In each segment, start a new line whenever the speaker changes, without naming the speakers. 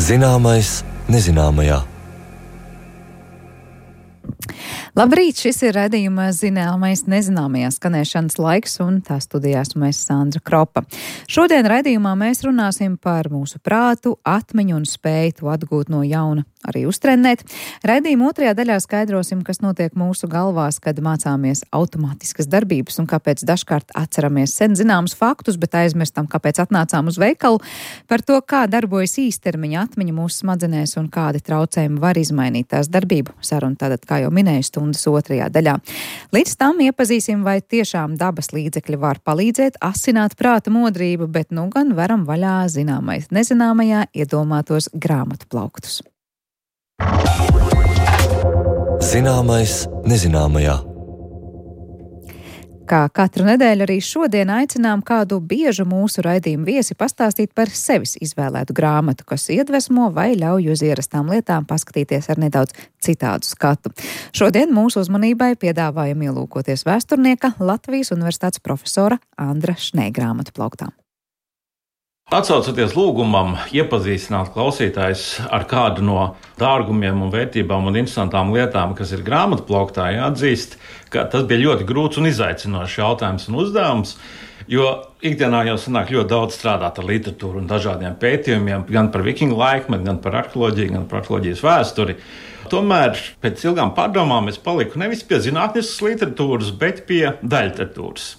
Zināmais nezināmajā.
Labrīt, šis ir raidījuma Zināmais nezināmajā skanēšanas laiks, un tā studijās mēs Sandra Kropa. Šodien raidījumā mēs runāsim par mūsu prātu, atmiņu un spēju to atgūt no jauna, arī uztrenēt. Raidījuma otrajā daļā skaidrosim, kas notiek mūsu galvās, kad mācāmies automātiskas darbības un kāpēc dažkārt atceramies sen zināmus faktus, bet aizmirstam, kāpēc atnācām uz veikalu, par to, kā darbojas īstermiņa atmiņa mūsu smadzenēs un kādi traucējumi var izmainīt tās darbību. Saruna tātad, kā jau minēju, stundas otrajā daļā. Līdz tam iepazīsim, vai tiešām dabas līdzekļi var palīdzēt asināt prāta modrību, bet nu gan varam vaļā zināmais nezināmajā iedomātos grāmatu plauktus.
Zināmais nezināmajā.
Kā katru nedēļu arī šodien aicinām kādu biežu mūsu raidījumu viesi pastāstīt par sevis izvēlētu grāmatu, kas iedvesmo vai ļauj uz ierastām lietām paskatīties ar nedaudz citādu skatu. Šodien mūsu uzmanībai piedāvājam ielūkoties vēsturnieka Latvijas Universitātes profesora Andra Šnē grāmatu plauktām.
Atsaucoties lūgumam iepazīstināt klausītājus ar kādu no dārgumiem un vērtībām un interesantām lietām, kas ir grāmatplauktā, jāatzīst, ka tas bija ļoti grūts un izaicinošs jautājums un uzdevums, jo ikdienā jau sanāk ļoti daudz strādāt ar literatūru un dažādiem pētījumiem, gan par vikingu laikmetu, gan par arheoloģiju, gan par arheoloģijas vēsturi. Tomēr pēc ilgām pārdomām es paliku nevis pie zinātniskas literatūras, bet pie daļliteratūras.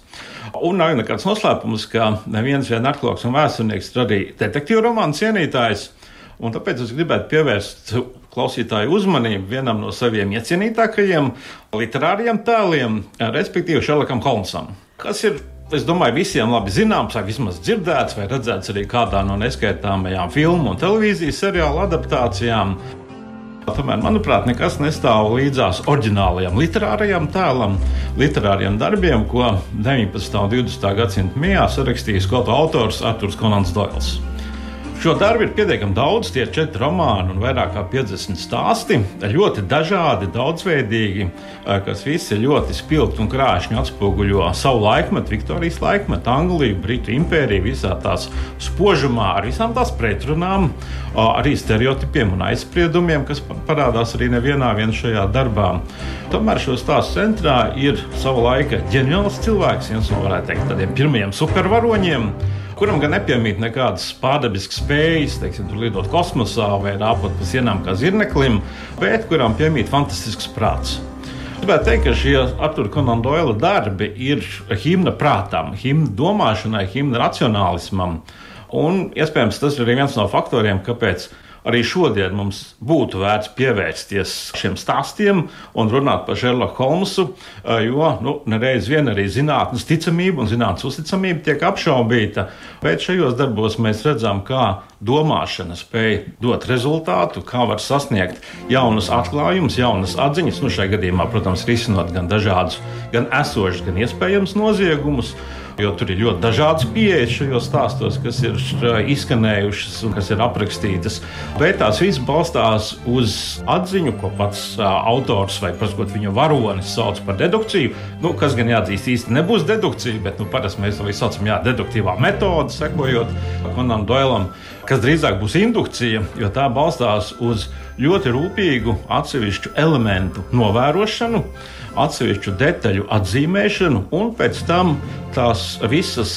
Un nav nekāds noslēpums, ka neviens arheologs un vēsturnieks ir arī detektīvu romānu cienītājs, un tāpēc es gribētu pievērst klausītāju uzmanību vienam no saviem iecienītākajiem literāriem tēliem, respektīvi Šerlokam Holmsam, kas ir, es domāju, visiem labi zināms, vai vismaz dzirdēts, vai redzēts arī kādā no neskaitāmajām filmu un televīzijas seriālu adaptācijām. Tomēr, manuprāt, nekas nestāv līdzās oriģinālajam literārajam tēlam, literāriem darbiem, ko 19. un 20. gadsimta mijā sarakstījis skotu autors Arturs Konans Doils. Šo darbu ir pietiekami daudz, tie ir 4 romāni un vairāk kā 50 stāsti, ļoti dažādi, daudzveidīgi, kas visi ļoti spilgti un krāšņi atspoguļo savu laikmetu, Viktorijas laikmetu, Angliju, Britu impēriju, visā tās spožumā, ar visām tās pretrunām, arī stereotipiem un aizspriedumiem, kas parādās arī nevienā šajā darbā. Tomēr šo stāstu centrā ir sava laika ģeniāls cilvēks, viens no, varētu teikt, tādiem pirmajiem supervaroņiem, kuram gan nepiemīt nekādas pārdabiskas spējas, teiksim, tur lidot kosmosā vai rāpot pa sienām kā zirneklim, bet kuram piemīt fantastisks prāts. Gribētu teikt, ka šie Artura Konana Doila darbi ir himna prātam, himna domāšanai, himna racionālismam. Un, iespējams, tas ir arī viens no faktoriem, kāpēc arī šodien mums būtu vērts pievērsties šiem stāstiem un runāt par Šerloku Holmsu, jo nereiz vien arī zinātnes ticamība un zinātnes uzticamība tiek apšaubīta. Bet šajos darbos mēs redzam, kā domāšana spēj dot rezultātu, kā var sasniegt jaunus atklājumus, jaunas atziņas, šajā gadījumā, protams, risinot gan dažādus, gan esošus, gan iespējams noziegumus, jo tur ir ļoti dažādas pieejas šajos stāstos, kas ir izskanējušas un kas ir aprakstītas. Bet tās visas balstās uz atziņu, ko pats autors vai, prasot, viņa varonis sauc par dedukciju. Kas gan jāatzīst īsti nebūs dedukcija, bet parasti mēs to saucam deduktīvā metode, sekojot Konanam Doilam, kas drīzāk būs indukcija, jo tā balstās uz ļoti rūpīgu atsevišķu elementu novērošanu, atsevišķu detaļu atzīmēšanu un pēc tam tās visas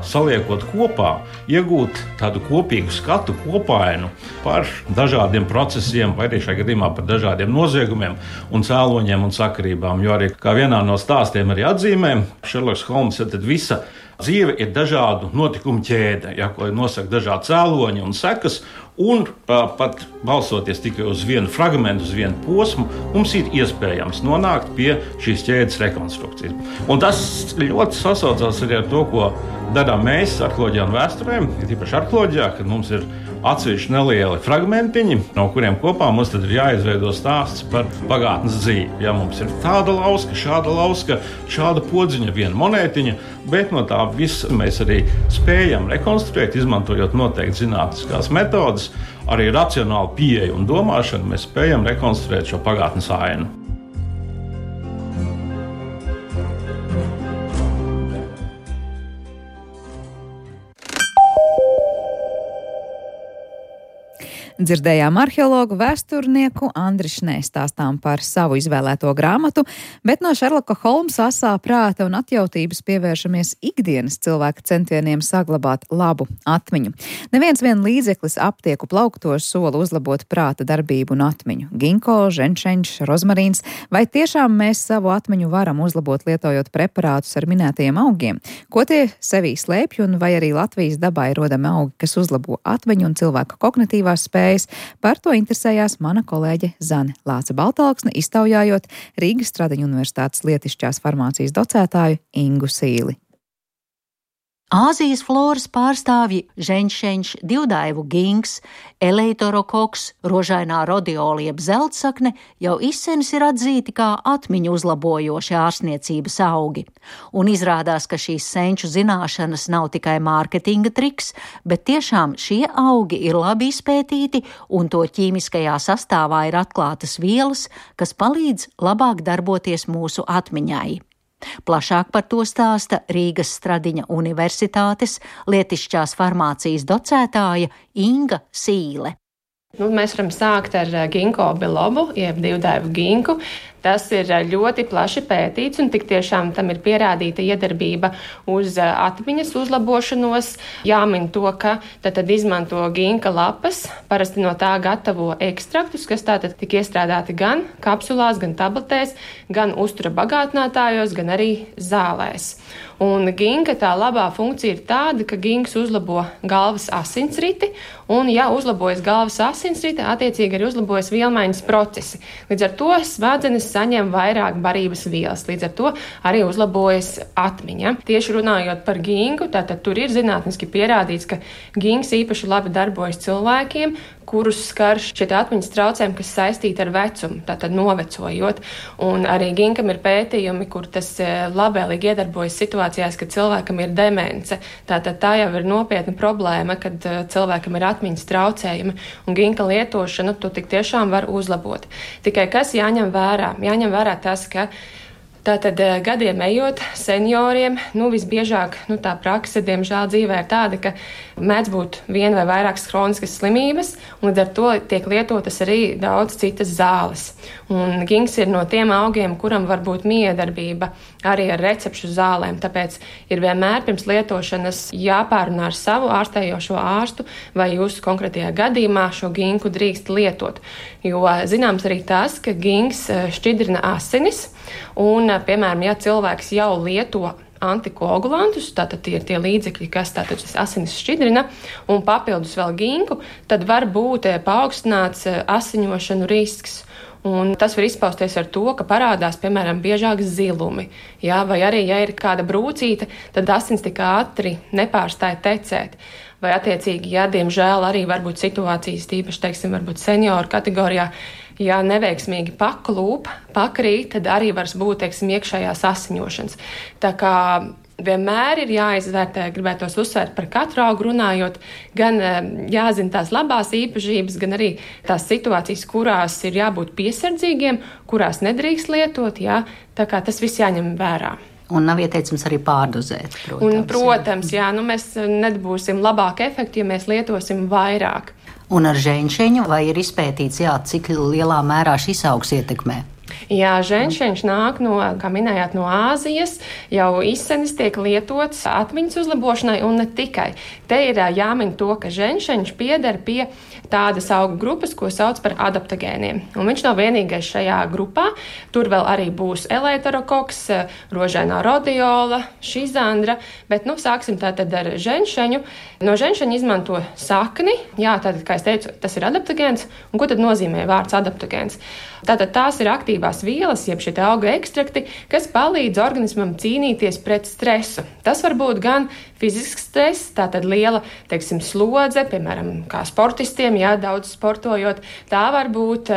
saliekot kopā, iegūt tādu kopīgu skatu kopainu par dažādiem procesiem, vai arī šajā gadījumā par dažādiem noziegumiem un cēloņiem un sakarībām. Jo arī kā vienā no stāstiem arī atzīmē, Šerloks Holms, tad visa dzīve ir dažādu notikumu ķēde, ko nosaka dažādi cēloņi un sekas, un pat balstoties tikai uz vienu fragmentu, uz vienu posmu, mums ir iespējams nonākt pie šīs ķēdes rekonstrukcijas. Un tas ļoti sasaucās arī ar to, ko darām mēs arheoloģijā un vēsturē, tīpaši arheoloģijā, kad mums ir atsevišķi nelieli fragmentiņi, no kuriem kopā mums tad ir jāizveido stāsts par pagātnes dzīvi. Ja mums ir tāda lauska, šāda podziņa, viena monētiņa, bet no tā visa mēs arī spējam rekonstruēt, izmantojot noteikti zinātniskās metodes, arī racionālu pieeju un domāšanu, mēs spējam rekonstruēt šo pagātnes ainu.
Dzirdējām arheologu, vēsturnieku Andri Šnē stāstām par savu izvēlēto grāmatu, bet no Šerloka Holmsa asā prāta un atjautības pievēršamies ikdienas cilvēka centieniem saglabāt labu atmiņu. Neviens vien līdzeklis aptieku plauktos sola uzlabot prāta darbību un atmiņu. Ginko, ženšeņš, rozmarīns, vai tiešām mēs savu atmiņu varam uzlabot lietojot preparātus ar minētajiem augiem? Ko tie sevī slēpj un vai arī Latvijas dabā ir rodami augi, kas uzlabo atmiņu un cilvēka kognitīvās spējas? Par to interesējās mana kolēģe Zane Lāce-Baltalksne, iztaujājot Rīgas Stradiņu universitātes lietišķās farmācijas docētāju Ingu Sīli.
Āzijas floras pārstāvji ženšeņš, divdaivu gings, eleitorokoks, rožainā rodiola jeb zeltsakne jau izsenis ir atzīti kā atmiņu uzlabojoši ārstniecības augi. Un izrādās, ka šīs senču zināšanas nav tikai mārketinga triks, bet tiešām šie augi ir labi izpētīti un to ķīmiskajā sastāvā ir atklātas vielas, kas palīdz labāk darboties mūsu atmiņai. Plašāk par to stāsta Rīgas Stradiņa universitātes lietišķās farmācijas docētāja Inga Sīle.
Mēs varam sākt ar ginko bilobu, jeb divdaivu ginku. Tas ir ļoti plaši pētīts un tik tiešām tam ir pierādīta iedarbība uz atmiņas uzlabošanos. Jāmin to, ka tad izmanto ginka lapas, parasti no tā gatavo ekstraktus, kas tātad tik iestrādāti gan kapsulās, gan tabletēs, gan uztura bagātinātājos, gan arī zālēs. Un ginka tā labā funkcija ir tāda, ka ginks uzlabo galvas asinsriti, un ja uzlabojas galvas asinsrite, attiecīgi arī uzlabojas vielmaiņas procesi. Līdz ar to smadzenes saņem vairāk barības vielas, līdz ar to arī uzlabojas atmiņa. Tieši runājot par ginku, tātad tur ir zinātniski pierādīts, ka ginks īpaši labi darbojas cilvēkiem, kurus skar šie atmiņas traucējumi, kas saistīti ar vecumu, tātad novecojot. Un arī ginkam ir pētījumi, kur tas labvēlīgi iedarbojas situācijās, kad cilvēkam ir demence. Tātad tā jau ir nopietna problēma, kad cilvēkam ir atmiņas traucējumi, un ginka lietošanu tu tik tiešām var uzlabot. Tikai kas jāņem vērā? Jāņem vērā tas, ka tātad gadiem ejot senioriem, visbiežāk tā prakse, diemžēl dzīvē ir tāda, ka mēdz būt viena vai vairākas hroniskas slimības, un līdz ar to tiek lietotas arī daudz citas zāles. Un ginks ir no tiem augiem, kuram var būt miedarbība arī ar recepšu zālēm, tāpēc ir vienmēr pirms lietošanas jāpārunā ar savu ārstējošo ārstu, vai jūs konkrētajā gadījumā šo ginku drīkst lietot. Jo zināms arī tas, ka ginks šķidrina asinis, un, piemēram, ja cilvēks jau lieto antikoagulantus, tātad tie ir tie līdzekļi, kas tātad asinis šķidrina, un papildus vēl ginku, tad var būt paaugstināts asiņošanu risks. Un tas var izpausties ar to, ka parādās, piemēram, biežāk zilumi. Jā, vai arī, ja ir kāda brūcīte, tad asins tik ātri nepārstāja tecēt. Vai attiecīgi, ja diemžēl arī var būt situācijas, tīpaši, teiksim, varbūt senioru kategorijā, ja neveiksmīgi paklūp, pakrīt, tad arī var būt, teiksim, iekšējās asiņošanas. Tā kā vienmēr ir jāizvērtē, gribētos uzsvērt par katru augu runājot, gan jāzina tās labās īpašības, gan arī tās situācijas, kurās ir jābūt piesardzīgiem, kurās nedrīkst lietot, jā, tā kā tas viss jāņem vērā.
Un nav ieteicams arī pārdozēt,
protams. Mēs nedabūsim labāku efektu, ja mēs lietosim vairāk.
Un ar ženšeņu vai ir izpētīts, cik lielā mērā šis augs ietekmē?
Jā, ženšeņš nāk no, kā minējāt, no Āzijas, jau izsenis tiek lietots atmiņas uzlabošanai un ne tikai. Te ir jāmin to, ka ženšeņš pieder pie tādas augu grupas, ko sauc par adaptogēniem. Un viņš nav vienīgais šajā grupā. Tur vēl arī būs eleitorokoks, rožainā rodiola, šizandra, bet sāksim tātad ar ženšeņu. No ženšeņa izmanto sakni, tātad, kā es teicu, tas ir adaptogēns. Un ko tad nozīmē vārds adaptogēns? Tātad tās ir aktīvās vielas, jeb šie auga ekstrakti, kas palīdz organismam cīnīties pret stresu. Tas var būt gan fizisks stress, tātad liela, slodze, piemēram, kā sportistiem, daudz sportojot. Tā var būt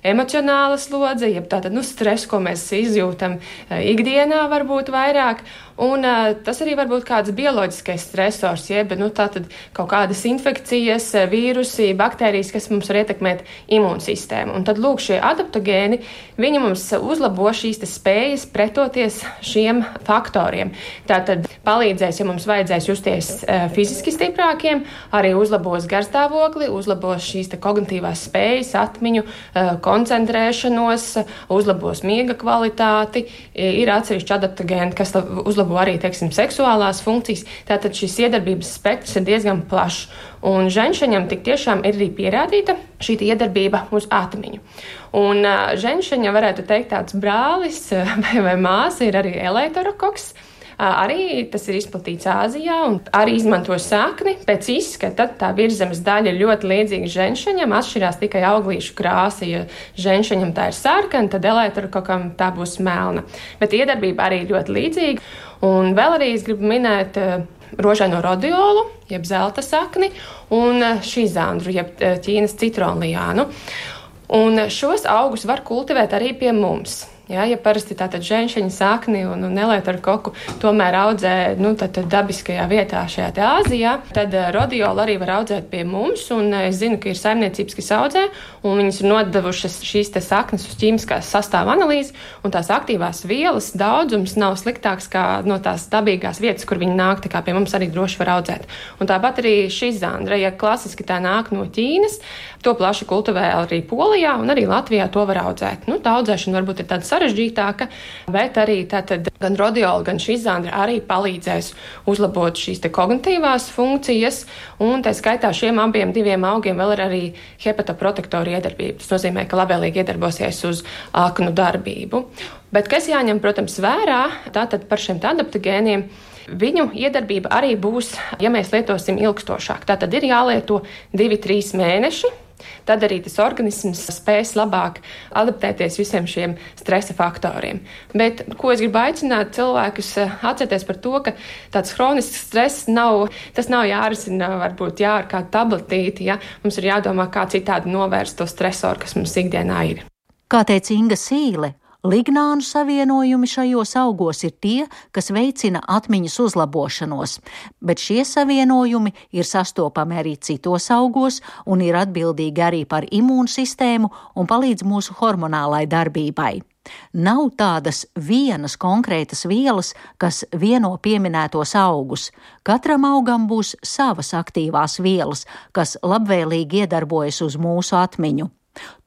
emocionāla slodze, jeb tātad stress, ko mēs izjūtam ikdienā, var būt vairāk. Un tas arī var būt kāds bioloģiskais stresors, jeb tātad kaut kādas infekcijas, vīrusi, baktērijas, kas mums var ietekmēt imūnsistēmu. Un tad, lūk, šie adaptogēni, viņi mums uzlabo šīs spējas pretoties šiem faktoriem. Tātad palīdzēs, ja mums vajadzēs justies fiziski stiprākiem, arī uzlabos garstāvokli, uzlabos šīs kognitīvās spējas, atmiņu, koncentrēšanos, uzlabos miega kvalitāti. Ir atsevišķi adaptogēni, kas uzlabo arī, teiksim, seksuālās funkcijas. Tātad šis iedarbības spektrs ir diezgan plašs. Un ženšaņam tik tiešām ir arī pierādīta šī iedarbība uz atmiņu. Un ženšaņa, varētu teikt, tāds brālis vai māsa ir arī eleitorokoks. Arī tas ir izplatīts Āzijā un arī izmanto sakni. Pēc izskata tā virzemes daļa ir ļoti līdzīga ženšaņam, atšķirās tikai auglīšu krāsa. Ja ženšaņam tā ir sarkana, tad eleitorokokkam tā būs melna. Bet iedarbība arī ļoti līdzīga. Un vēl arī es gribu minēt rožaino rodiolu, jeb zelta sakni, un šizandru, jeb Ķīnas citronlijānu. Un šos augus var kultivēt arī pie mums. Ja parasti tātad ženšaņa sakni un eleitorokoku tomēr audzē dabiskajā vietā šajā te Āzijā, tad rodiolu arī var audzēt pie mums, un es zinu, ka ir saimniecības, kas audzē, un viņas ir nodevušas šīs te saknes uz ķīmiskās sastāva analīzi, un tās aktīvās vielas daudzums nav sliktāks kā no tās dabīgās vietas, kur viņi nāk, tā kā pie mums arī droši var audzēt. Un tāpat arī šizandra, ja klasiski tā nāk no Ķīnas, to plaši kultivē arī Polijā, un arī Latvijā to var audzēt. Tā audzēšana varbūt ir tāda sarežģītāka, bet arī tātad gan rodiola, gan šizandra arī palīdzēs uzlabot šīs te kognitīvās funkcijas, un tā skaitā šiem abiem diviem augiem vēl ir arī hepatoprotektoru iedarbība. Tas nozīmē, ka labvēlīgi iedarbosies uz aknu darbību. Bet kas jāņem, protams, vērā, tātad par šiem adaptogēniem, viņu iedarbība arī būs, ja mēs lietosim ilgstošāk. Tātad ir jālieto 2-3 mēneši. Tad arī tas organisms spēs labāk adaptēties visiem šiem stresa faktoriem. Bet, ko es gribu aicināt cilvēkus atcerēties par to, ka tāds hronisks stress nav jārisina varbūt ar kādu tabletīti, ja? Mums ir jādomā, kā citādi novērst to stresoru, kas mums ikdienā ir.
Kā teica Inga Sīle, lignānu savienojumi šajos augos ir tie, kas veicina atmiņas uzlabošanos, bet šie savienojumi ir sastopami arī citos augos un ir atbildīgi arī par imūnsistēmu un palīdz mūsu hormonālai darbībai. Nav tādas vienas konkrētas vielas, kas vieno pieminētos augus. Katram augam būs savas aktīvās vielas, kas labvēlīgi iedarbojas uz mūsu atmiņu.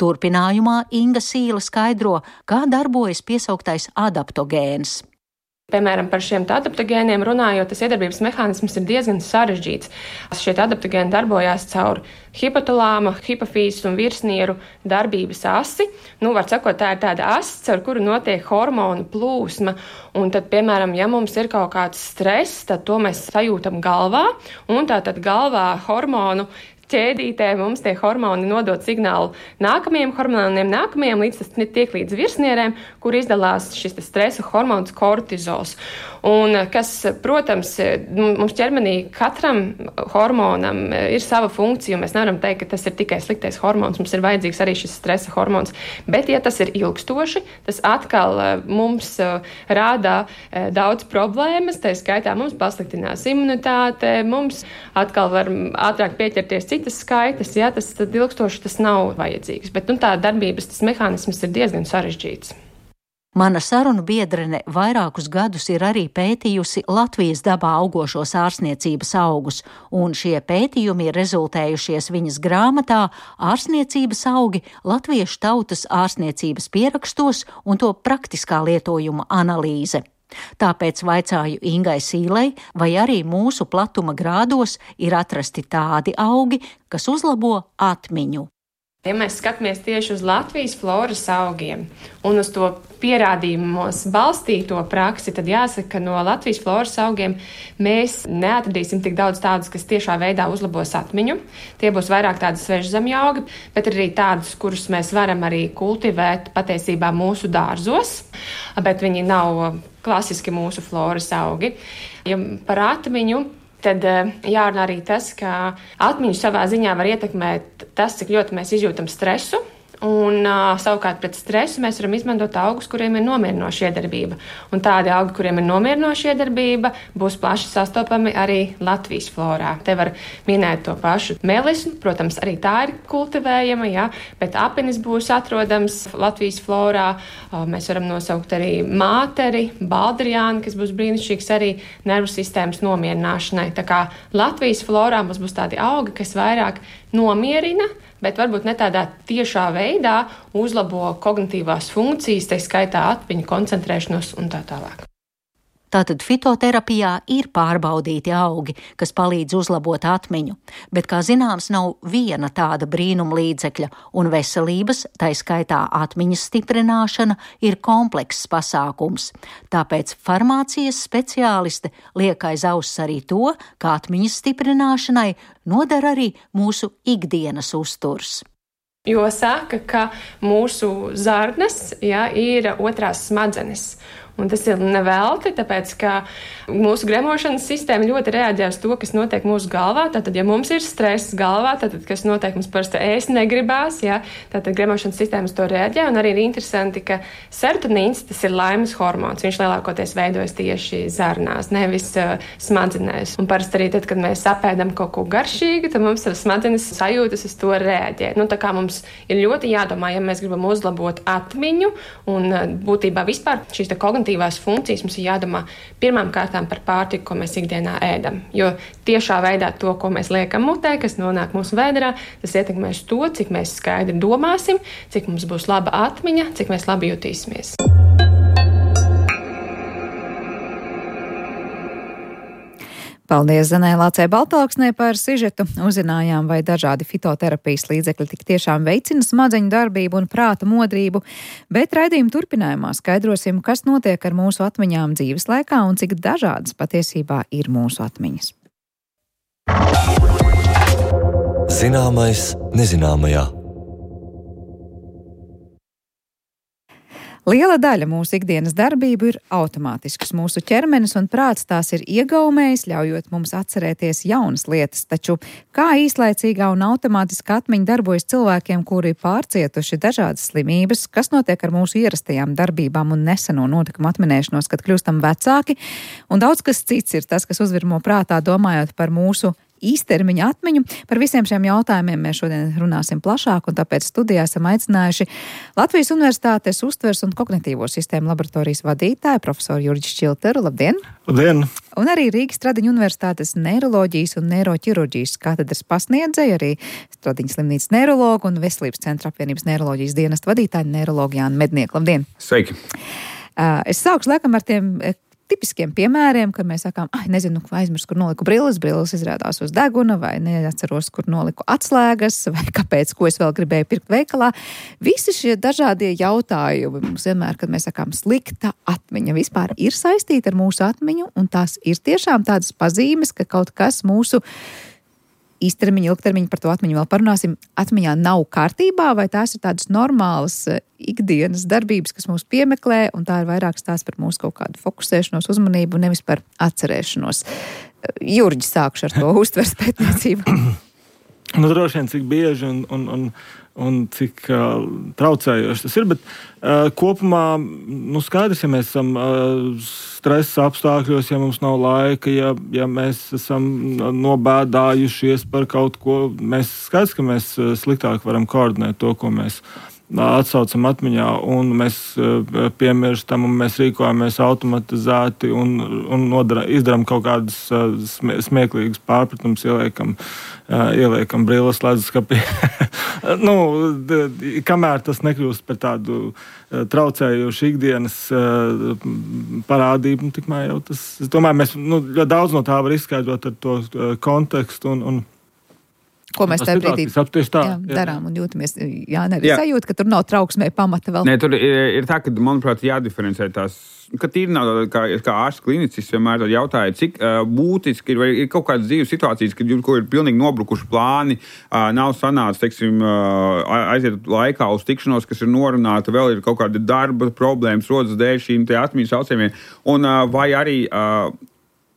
Turpinājumā Inga Sīle skaidro, kā darbojas piesauktais adaptogēns.
Piemēram, par šiem adaptogēniem runājot, tas iedarbības mehānisms ir diezgan sarežģīts. Šie adaptogēni darbojās caur hipotalāma, hipofīzes un virsnieru darbības asi. Var sakot, tā ir tāda asa, caur kuru notiek hormonu plūsma. Un tad, piemēram, ja mums ir kaut kāds stress, tad to mēs sajūtam galvā, un tātad galvā hormonu ķēdītē mums tie hormoni nodod signālu nākamajiem hormoniem, līdz tas tiek līdz virsnierēm, kur izdalās šis stresa hormons kortizols. Un kas, protams, mums ķermenī katram hormonam ir sava funkcija, mēs nevaram teikt, ka tas ir tikai sliktais hormons, mums ir vajadzīgs arī šis stresa hormons. Bet, ja tas ir ilgstoši, tas atkal mums rādā daudz problēmas, tā skaitā mums pasliktinās imunitāte, mums atkal var ātrāk pieķerties citas skaitas, ja tas tad ilgstoši tas nav vajadzīgs. Bet tā darbības mehānisms ir diezgan sarežģīts.
Mana sarunu biedrene vairākus gadus ir arī pētījusi Latvijas dabā augošos ārstniecības augus, un šie pētījumi ir rezultējušies viņas grāmatā Ārstniecības augi latviešu tautas ārstniecības pierakstos un to praktiskā lietojuma analīze. Tāpēc vaicāju Ingai Sīlei, vai arī mūsu platuma grādos ir atrasti tādi augi, kas uzlabo atmiņu.
Ja mēs skatāmies tieši uz Latvijas floras augiem un uz to pierādījumos balstīto praksi, tad jāsaka, ka no Latvijas floras augiem mēs neatradīsim tik daudz tādus, kas tiešā veidā uzlabos atmiņu. Tie būs vairāk tādi svežzemju augi, bet arī tādus, kurus mēs varam arī kultivēt patiesībā mūsu dārzos, bet viņi nav klasiski mūsu floras augi. Ja par atmiņu, tad jārunā arī tas, ka atmiņu savā ziņā var ietekmēt tas, cik ļoti mēs izjūtam stresu Un savukārt pret stresu mēs varam izmantot augus, kuriem ir nomierinoša iedarbība. Un tādi augi, kuriem ir nomierinoša iedarbība, būs plaši sastopami arī Latvijas florā. Te var minēt to pašu melismu, protams, arī tā ir kultivējama, ja, bet apinis būs atrodams Latvijas florā. Mēs varam nosaukt arī māteri, baldriāni, kas būs brīnišķīgs arī nervu sistēmas nomierināšanai. Tā kā Latvijas florā mums būs tādi augi, kas vairāk nomierina, bet varbūt ne tādā tiešā veidā uzlabo kognitīvās funkcijas, tā skaitā atmiņu, koncentrēšanos un tā tālāk.
Tātad fitoterapijā ir pārbaudīti augi, kas palīdz uzlabot atmiņu, bet, kā zināms, nav viena tāda brīnuma līdzekļa, un veselības, tā skaitā atmiņas stiprināšana, ir komplekss pasākums. Tāpēc farmācijas speciāliste liek aiz auss arī to, ka atmiņas stiprināšanai noder arī mūsu ikdienas uzturs.
Jo saka, ka mūsu zarnas, ir otrās smadzenes. Un tas ir nevelti, tāpēc, ka mūsu gremošanas sistēma ļoti reaģē uz to, kas notiek mūsu galvā. Tātad, ja mums ir stress galvā, tad, kas notiek, mums parasti ēst negribās, tātad gremošanas sistēmas to reaģē. Un arī ir interesanti, ka serotonīns, tas ir laimes hormons. Viņš lielākoties veidojas tieši zarnās, nevis smadzenēs. Un parasti arī tad, kad mēs apēdam kaut ko garšīgu, tad mums ar smadzenes sajūtas uz to reaģē. Tā kā mums ir ļoti jādomā, ja mēs gribam uzlabot atmiņu un būtībā vispār šīs kognitīvās funkcijas, mums ir jādomā pirmām kārtām par pārtiku, ko mēs ikdienā ēdam. Jo tiešā veidā to, ko mēs liekam mutē, kas nonāk mūsu vēderā, tas ietekmēs to, cik mēs skaidri domāsim, cik mums būs laba atmiņa, cik mēs labi jutīsimies.
Paldies Zanai Lācei Baltāksnē par sižetu. Uzzinājām, vai dažādi fitoterapijas līdzekļi tik tiešām veicina smadzeņu darbību un prāta modrību, bet raidījuma turpinājumā skaidrosim, kas notiek ar mūsu atmiņām dzīves laikā un cik dažādas patiesībā ir mūsu atmiņas.
Zināmais nezināmajā.
Liela daļa mūsu ikdienas darbību ir automātiskas. Mūsu ķermenis un prāts tās ir iegaumējis, ļaujot mums atcerēties jaunas lietas. Taču kā īslaicīgā un automātiska atmiņa darbojas cilvēkiem, kuri pārcietuši dažādas slimības, kas notiek ar mūsu ierastajām darbībām un neseno notikumu atminēšanos, kad kļūstam vecāki, un daudz kas cits ir tas, kas uzvirmo prātā, domājot par mūsu īstermiņa atmiņu. Par visiem šiem jautājumiem mēs šodien runāsim plašāk, un tāpēc studijā esam aicinājuši Latvijas Universitātes uztvers un kognitīvo sistēmu laboratorijas vadītāju profesoru Jurģi Šķilteru. Labdien!
Labdien!
Un arī Rīgas Stradiņu Universitātes neiroloģijas un neiroķirurģijas katedras pasniedzēja, arī Stradiņas slimnīcas neirologu un Veselības centra apvienības neiroloģijas dienesta vadītāju neirologu Jānu Mednieku. Labdien!
Sveiki!
Es sākšu laikam ar tiem tipiskiem piemēriem, kad mēs sakām, nezinu, aizmirsu, kur noliku brilles izrādās uz deguna, vai neatceros, kur noliku atslēgas, vai kāpēc, ko es vēl gribēju pirkt veikalā. Visi šie dažādie jautājumi mums vienmēr, kad mēs sakām slikta atmiņa, vispār ir saistīta ar mūsu atmiņu, un tās ir tiešām tādas pazīmes, ka kaut kas mūsu īstermiņa, ilgtermiņa, par to atmiņu vēl parunāsim, atmiņā nav kārtībā, vai tās ir tādas normālas ikdienas darbības, kas mūs piemeklē, un tā ir vairāk stāsts par mūsu kaut kādu fokusēšanos, uzmanību, nevis par atcerēšanos. Jurģi, sākšu ar to uztvers pētniecību.
Droši vien, cik bieži un cik traucējoši tas ir, bet kopumā, skaidrs, ja mēs esam stresa apstākļos, ja mums nav laika, ja mēs esam nobēdājušies par kaut ko, skaidrs, ka mēs sliktāk varam koordinēt to, ko mēs atsaucam atmiņā, un mēs piemirstam, un mēs rīkojamies automatizēti un izdaram kaut kādas smieklīgas pārpratumus, ieliekam brilles leduskapī. Kamēr tas nekļūst par tādu traucējošu ikdienas parādību, tikmēr jau tas, es domāju, mēs ļoti daudz no tā var izskaidrot ar to kontekstu un
ko mēs tajā brīdī darām un jūtamies. Sajūta, ka tur nav trauksmē pamata vēl.
Nē, tur ir tā, ka, manuprāt, jādiferencē tās, ka tīri nav kā ārsts klinicis vienmēr jautāja, cik būtiski ir kaut kādas dzīves situācijas, kad ko ir pilnīgi nobrukuši plāni, nav sanācis, teiksim, aiziet laikā uz tikšanos, kas ir norunāta, vēl ir kaut kāda darba problēmas, rodas dēļ šīm te atmiņas saucējumiem, un vai arī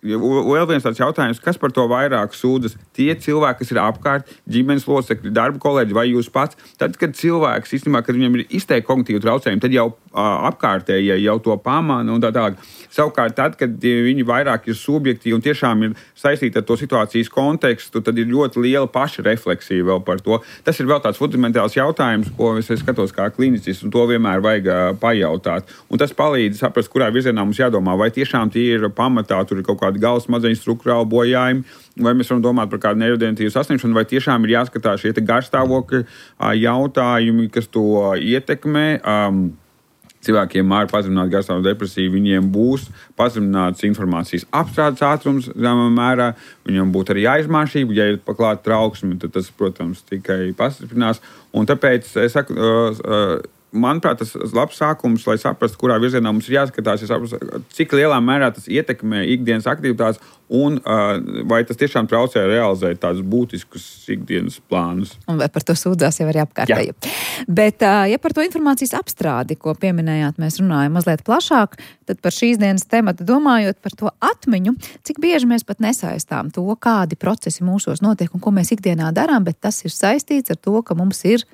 vēl viens tāds jautājums, kas par to vairāk sūdzas? Tie cilvēki, kas ir apkārt, ģimenes locekļi, darba kolēģi vai jūs pats, tad, kad cilvēks, īstenībā, kad viņam ir izteikti kognitīvi traucējumi, tad jau apkārtējie jau to pamana un tā tālāk. Savukārt, tad, kad viņi vairāk ir subjektīvi un tiešām ir saistīti ar to situācijas kontekstu, tad ir ļoti liela pašrefleksija vēl par to. Tas ir vēl tāds fundamentāls jautājums, ko es skatos kā klinicis, un to vienmēr vajag pajautāt. Un tas palīdz saprast, kurā virzienā mums jādomā, vai tiešām tie ir pamatā, tur ir kaut kādi galvas smadzeņu struktūrāli bojājumi, vai mēs varam domāt par kādu neirodegeneratīvu saslimšanu, vai tiešām ir jāskatās šie garstāvokļa jautājumi, kas to ietekmē. Cilvēkiem ar pazeminātu garstāvokļa depresiju, viņiem būs pazemināts informācijas apstrādes ātrums, zināmā mērā, viņam būtu arī aizmāšība, ja ir paklāta trauksme, tad tas, protams, tikai pastiprinās. Un tāpēc es saku, manuprāt, tas labs sākums, lai saprastu, kurā virzienā mums ir jāskatās, cik lielā mērā tas ietekmē ikdienas aktivitātes un vai tas tiešām traucē realizēt tādus būtiskus ikdienas plānus.
Un vai par to sūdzās jau arī apkārtēji. Bet, ja par to informācijas apstrādi, ko pieminējāt, mēs runājam mazliet plašāk, tad par šīs dienas tematu domājot par to atmiņu, cik bieži mēs pat nesaistām to, kādi procesi mūsos notiek un ko mēs ikdienā darām, bet tas ir saistīts ar to, ka mums ir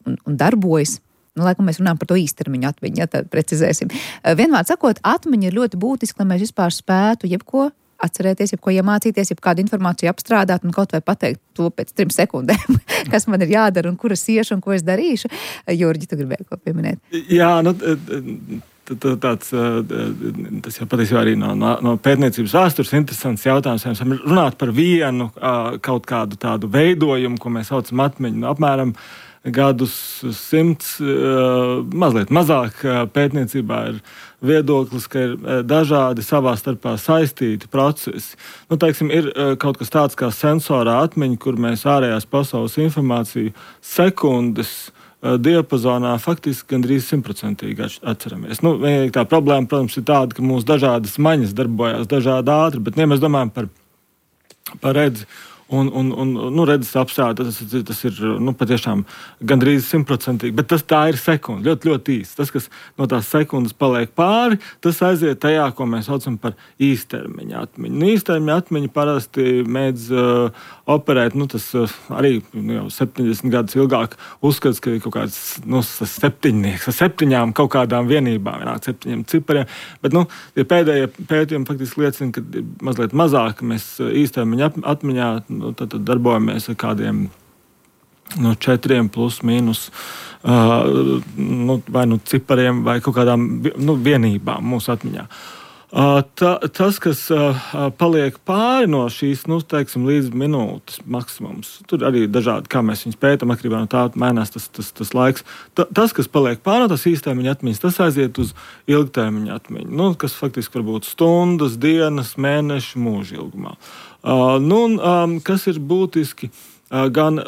un darbojas. Laikam mēs runājam par to īstermiņu atmiņu, ja tad precizēsim. Vienmēr sakot, atmiņa ir ļoti būtiska, lai mēs vispār spētu jebko atcerēties, jebko iemācīties, jebkādu informāciju apstrādāt un kaut vai pateikt to pēc 3 sekundēm, kas man ir jādara un kuras iešu un ko es darīšu. Jurģi, tu gribēji ko pieminēt?
Jā, tas jau patiesībā arī no pētniecības vēstures interesants jautājums. Mēs varam runāt par vienu kaut kādu tādu veidojumu, ko mēs saucam atmiņu, apmēram gadus 100, mazliet mazāk pētniecībā ir viedoklis, ka ir dažādi savā starpā saistīti procesi. Teiksim, ir kaut kas tāds kā sensorā atmiņa, kur mēs ārējās pasaules informāciju sekundes diapazonā faktiski gandrīz 100% atceramies. Vienīgi tā problēma, protams, ir tāda, ka mūsu dažādas maņas darbojās dažādi ātri, bet ja mēs domājam par redzi, un redzes apstrāde, tas ir patiešām gandrīz 100%, bet tā ir sekunde, ļoti, ļoti īsti. Tas, kas no tās sekundes paliek pāri, tas aiziet tajā, ko mēs saucam par īstermiņa atmiņu. Īstermiņa atmiņa parasti mēdz operēt, tas arī jau 70 gadus ilgāk uzskats, ka ir kaut kāds septiņnieks ar 7 kaut kādām vienībām, 7 cipariem, bet tie pēdējie pētījumi faktiski liecina, ka mazliet mazāk mēs īstermiņa atmiņā tad darbojamies ar kādiem 4 plus mīnus vai cipariem vai kaut kādām vienībām mūsu atmiņā. Tas, kas paliek pāri no šīs, teiksim, līdz minūtes maksimums, tur arī dažādi, kā mēs viņus pētam, atkarībā no tā mainās tas laiks. Tas, kas paliek pāri no tas īstermiņa atmiņas, tas aiziet uz ilgtermiņa atmiņu, kas faktiski var būt stundas, dienas, mēneši, mūža ilgumā. Kas ir būtiski, gan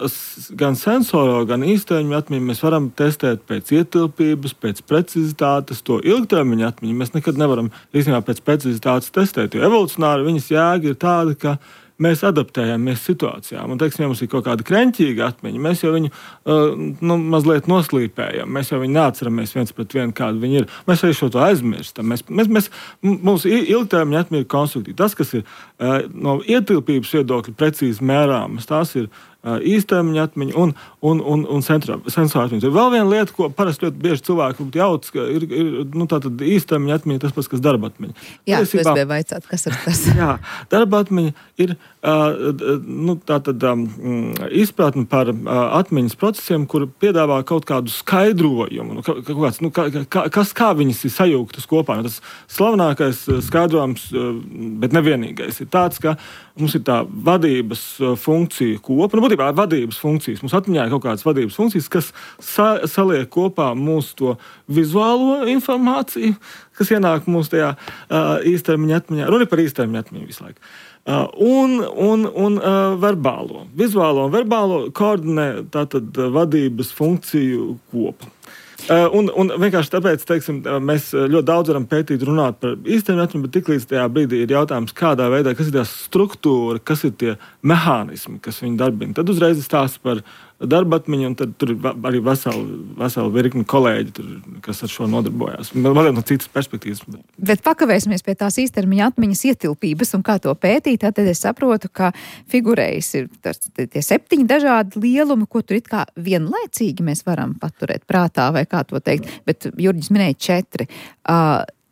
sensoro, gan īstermiņa atmiņu mēs varam testēt pēc ietilpības, pēc precizitātes, to ilgtermiņa atmiņu mēs nekad nevaram īstenībā pēc precizitātes testēt, jo evolucionāri viņas jēga ir tāda, ka mēs adaptējamies situācijām. Un, teiksim, ja mums ir kaut kāda kreņķīga atmiņa, mēs jau viņu mazliet noslīpējam. Mēs jau viņu neatceramies viens pret vienu, kāda viņa ir. Mēs arī šo to aizmirstam. Mūsu ilgtermiņa atmiņa ir konstruktīva. Tas, kas ir no ietilpības viedokļa precīzi mērāmas, tās ir īstermiņa atmiņa un sensora atmiņa. Vēl viena lieta, ko parasti ļoti bieži cilvēki jauc, ka ir tātad īstermiņa atmiņa tas pats, kas darba atmiņa.
Jā, es gribēju vaicāt, kas ir tas?
Jā, darba atmiņa ir izpratne par atmiņas procesiem, kur piedāvā kaut kādu skaidrojumu, kā viņas ir sajūgtas kopā. Tas slavenākais skaidrojums, bet nevienīgais, ir tāds, ka mums ir tā vadības funkcija kopa. Būtībā vadības funkcijas. Mums atmiņā ir kaut kādas vadības funkcijas, kas saliek kopā mūsu to vizuālo informāciju, kas ienāk mūsu tajā īstermiņa atmiņā. Runa par īstermiņa atmiņu visu laiku. Un verbālo. Vizuālo un verbālo koordinē tātad vadības funkciju kopu. Un vienkārši tāpēc, teiksim, mēs ļoti daudz varam pētīt, runāt par īstermiņa atmiņu, bet tiklīdz tajā brīdī ir jautājums, kādā veidā, kas ir tā struktūra, kas ir tie mehānismi, kas viņu darbina. Tad uzreiz stāsta par darba atmiņu, un tad tur ir arī vesela virkni kolēģi, kas ar šo nodarbojās. Mazliet no citas perspektīvas.
Bet pakavēsimies pie tās īstermiņa atmiņas ietilpības un kā to pētīt. Tad es saprotu, ka figurējas ir tie 7 dažādi lielumi, ko tur it kā vienlaicīgi mēs varam paturēt prātā, vai kā to teikt. Bet Jurģis minēja 4.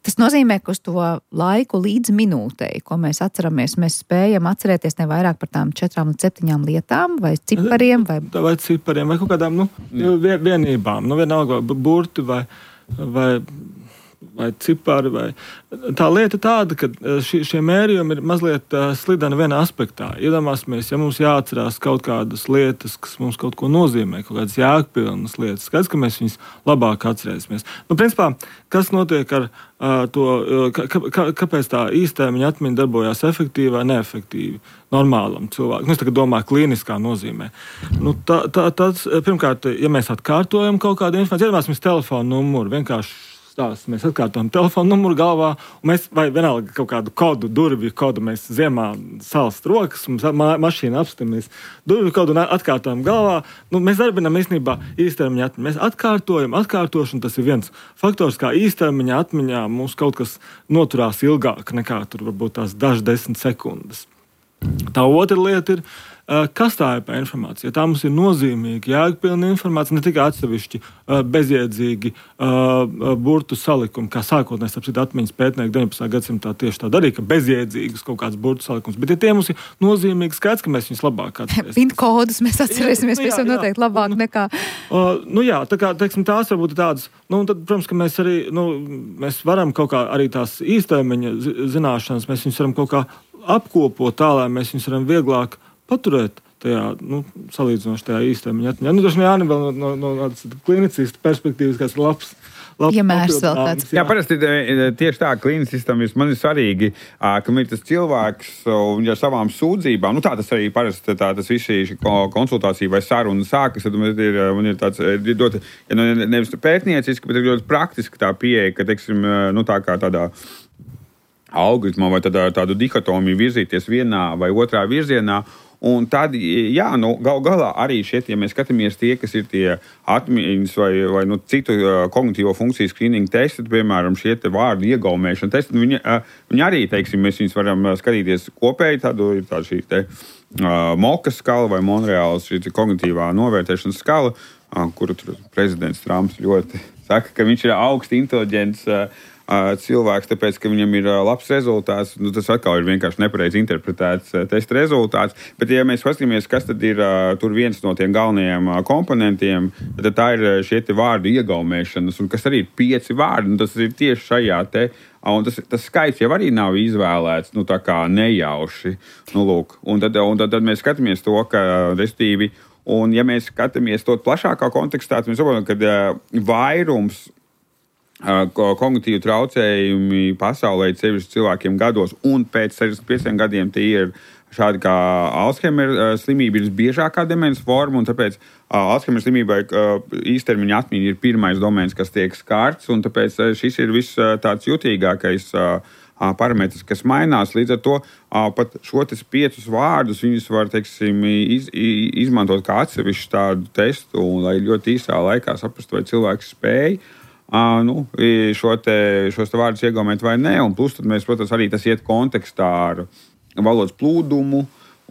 Tas nozīmē, ka uz to laiku līdz minūtei, ko mēs atceramies, mēs spējam atcerēties ne vairāk par tām 4 līdz 7 lietām, vai cipariem,
vai cipariem, vai kaut kādām vienībām. Vienalga, burti vai cipari. Tā lieta tāda, ka šie mērījumi ir mazliet slideni vienā aspektā. Iedomāsimies, ja mums jāatcerās kaut kādas lietas, kas mums kaut ko nozīmē, kaut kādas jēgpilnas lietas, skaidrs, ka mēs viņas labāk atcerēsimies. Principā, kas notiek ar to, kāpēc tā īstermiņa atmiņa darbojās efektīvi vai neefektīvi normālam cilvēkam? Es tagad domāju klīniskā nozīmē. Tas, pirmkārt, ja mēs atkārtojam kaut kādu informāciju, iedomāsimies telefonu numuru, vienkārši mēs atkārtojam telefonu numuru galvā, un mēs, vai vienalga kaut kādu kodu, durvju kodu, mēs ziemā salst rokas, mums mašīna apstamies durvju kodu un atkārtojam galvā. Mēs darbinām īstenībā īstermiņa atmiņu. Mēs atkārtošanu, tas ir viens faktors, kā īstermiņa atmiņā mums kaut kas noturās ilgāk nekā tur varbūt tās dažas 10 sekundes. Tā otra lieta ir, kas tā ir par informāciju. Tā mums ir nozīmīga, jēgpilna informācija, ne tikai atsevišķi bezjēdzīgi burtu salikumi, kā sākotnēs atmiņas pētnieki 19. gadsimtā tieši tā darīja, ka bezjēdzīgas kaut kāds burtu salikums. Bet ja tie mums ir nozīmīgi, skaidrs, ka mēs viņus labāk atcerēsim.
Pinkodus mēs atcerēsimies visam noteikti labāk nekā.
Tā kā, teiksim, tās varbūt tādas, tad, protams, ka mēs arī, mēs varam kaut kā arī tās īstermiņa zināšanas, mēs viņus varam kaut kā apkopot tā, lai mēs viņus varam vieglāk paturēt tajā, salīdzinoši tajā īstermiņa atmiņā. Droši vien Jāni vēl no klinicista perspektīvas, kāds labs
piemērs vēl kāds.
Jā, parasti tieši tā, klinicistam man ir svarīgi, ka ir tas cilvēks un ar savām sūdzībām, tā tas arī parasti tas viss šī konsultācija vai saruna sākas, tad man ir tāds ļoti, nevis pētnieciski, bet ir ļoti praktiski tā pieeja, ka, teiksim, tā kā tādā algoritmā vai tādu dikotomiju virzīties vienā vai otrā virzienā. Un tad, gal galā arī šeit, ja mēs skatāmies tie, kas ir tie atmiņas vai citu kognitīvo funkciju skrīningu testi, piemēram, šie te vārdu iegaumēšana testi, viņi arī, teiksim, mēs viņus varam skatīties kopēji, ir tāda šī te Mokas skala vai Monreāls šī kognitīvā novērtēšanas skala, kuru tur prezidents Trumps ļoti saka, ka viņš ir augsti inteliģents cilvēks, tāpēc, ka viņam ir labs rezultāts. Tas atkal ir vienkārši nepareizi interpretēts testa rezultāts. Bet, ja mēs paskatāmies, kas tad ir tur viens no tiem galvenajiem komponentiem, tad tā ir šie te vārdu iegaumēšanas, un kas arī ir 5 vārdi, un tas ir tieši šajā te. Un tas skaits jau arī nav izvēlēts, tā kā nejauši. Un tad mēs skatāmies to, ka, restīvi, un ja mēs skatāmies to plašākā kontekstā, tad mēs saprotam, ka vairums kognitīvu traucējumi pasaulē sevišķi cilvēkiem gados, un pēc 65 gadiem tie ir šādi kā Alzheimer slimība ir biežākā demences forma, un tāpēc Alzheimer slimībai īstermiņa atmiņa ir pirmais domēns, kas tiek skarts, un tāpēc šis ir viss tāds jutīgākais parametrs, kas mainās. Līdz ar to pat šo 5 vārdus viņus var, teiksim, izmantot kā atsevišķu tādu testu, un lai ļoti īsā laikā saprastu, vai cilvēks spēj šos vārdus iegaumēt vai nē. Un plus, tad mēs, protams, arī tas iet kontekstā ar valodas plūdumu